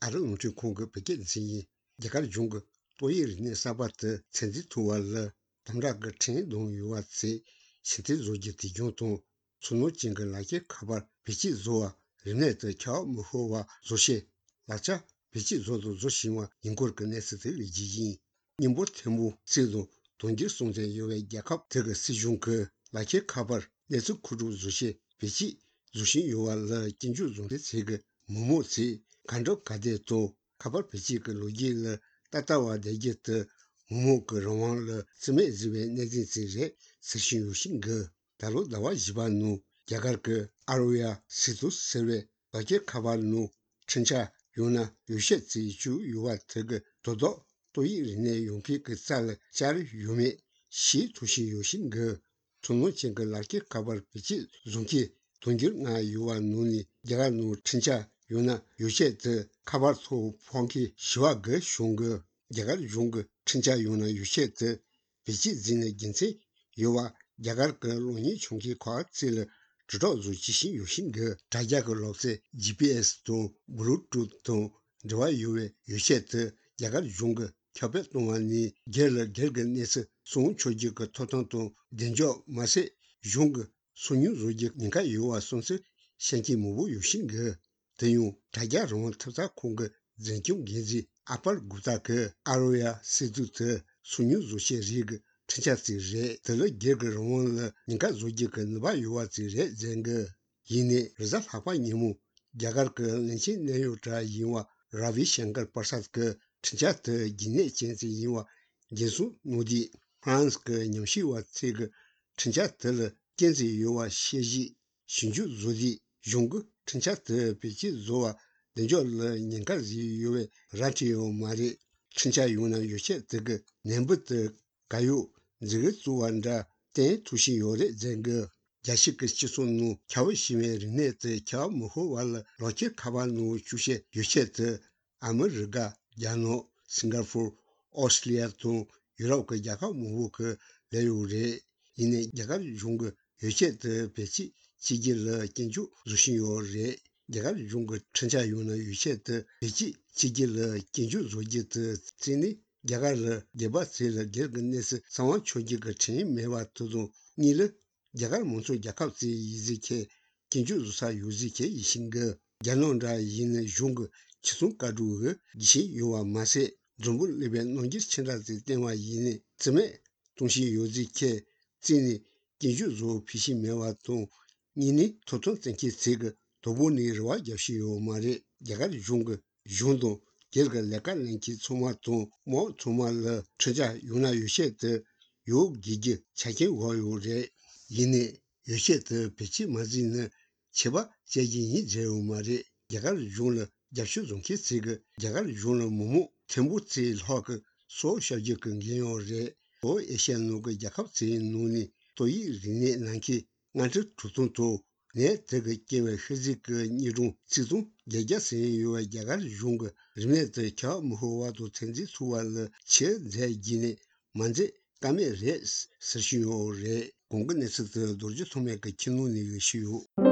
아르노트 공급 백개지 야갈 중국 도이르니 사바트 첸지 투왈 담라가 첸 동유와치 시티 조지 디종통 순노 징글라게 카바 비치 조아 르네트 캬 무호와 조시 라차 비치 조도 조시와 인고르 네스트 리지지 님보 템부 제도 동지 송제 요의 야캅 저거 시중크 라케 카바 네스 쿠루 조시 비치 조시 요왈 진주 종데 제거 무모치 간적 가데도 카바 비치 그 로기를 따따와 되게트 무모 그 로망을 스메 집에 내진지제 스시유신거 다로 나와 집안누 야갈그 아로야 시도 세레 바게 카발누 진짜 요나 요셰지 주 요와特个 도도 도이르네 용피 그 쌀, 자르 유메 시 도시 요신거 종로 쟁거 라게 카발 비치 종기 동길 나 요와 누니 야갈누 진짜 요나 요셰드 카발소 펑키 시와거 숑거 야갈 용거 진짜 요나 요셰드 비치 진의 긴세 요와 야갈 그 로니 총기 과학질 知道如其心有性格，大家个老师 GPS 中、Bluetooth 中，这玩意儿有些的也个用个，特别东安你给个那是送出去个套当中，人家马是用个送牛肉的，你看有啊，送是现金木有性格，等于大家容特啥空个人工经济，阿巴古达个阿罗呀，是都的送牛肉些这个。 陈家子人得了几个人问了，你看如今个那把有啊子人人个，因为日啥法年目，这个个人心内有这因为拉维香港巴萨个陈家的因为经济因为耶稣努的 France 个纽西话这个陈家得了经济有啊协议，寻求如的用个陈家的比起如啊，人家了人家是有为然后有嘛的陈家有呢有些这个南部的还有。 这个做完的，等出现有的这个，也是个技术奴，调新闻人呢，在调幕后完了，老些卡巴奴就是有些的，阿美日个、亚诺、新加坡、澳大利亚中，有那个亚个幕后个来有的，因为亚个用个有些的别起，自己了研究，出现有的。 亚个用个陈家用的有些的别起，自己了研究出去的真的。 야가르 데바스를 게르근네스 상황 초기가 체인 매와 도도 니르 야가르 몬소 야캅지 이지케 긴주주사 유지케 이신거 야논라 이네 숑거 치송가두거 기시 요와 마세 좀불 레벤 논지 친라지电话 이네 쯤에 동시 유지케 진이 긴주주 피시 매와 도 니니 토톤 생키 세거 도보니르와 야시요 마레 야가르 숑거 숑도 这个那个人去从嘛从么从嘛了，出家有那有些的有自己前进我有人，因为有些的比起嘛是呢，七八接近一这有嘛的，这个用了也是用起这个，这个用了某某全部这好个所小就跟人要人，我一些那个也靠这努力，所以人家能去按照主动做。 네这个结为是这个一种这种也是有这个用个人们在家幕后话都曾经说完了，且在以内，满在干面人是需要人，公共的是的，都是从那个金融那个需要。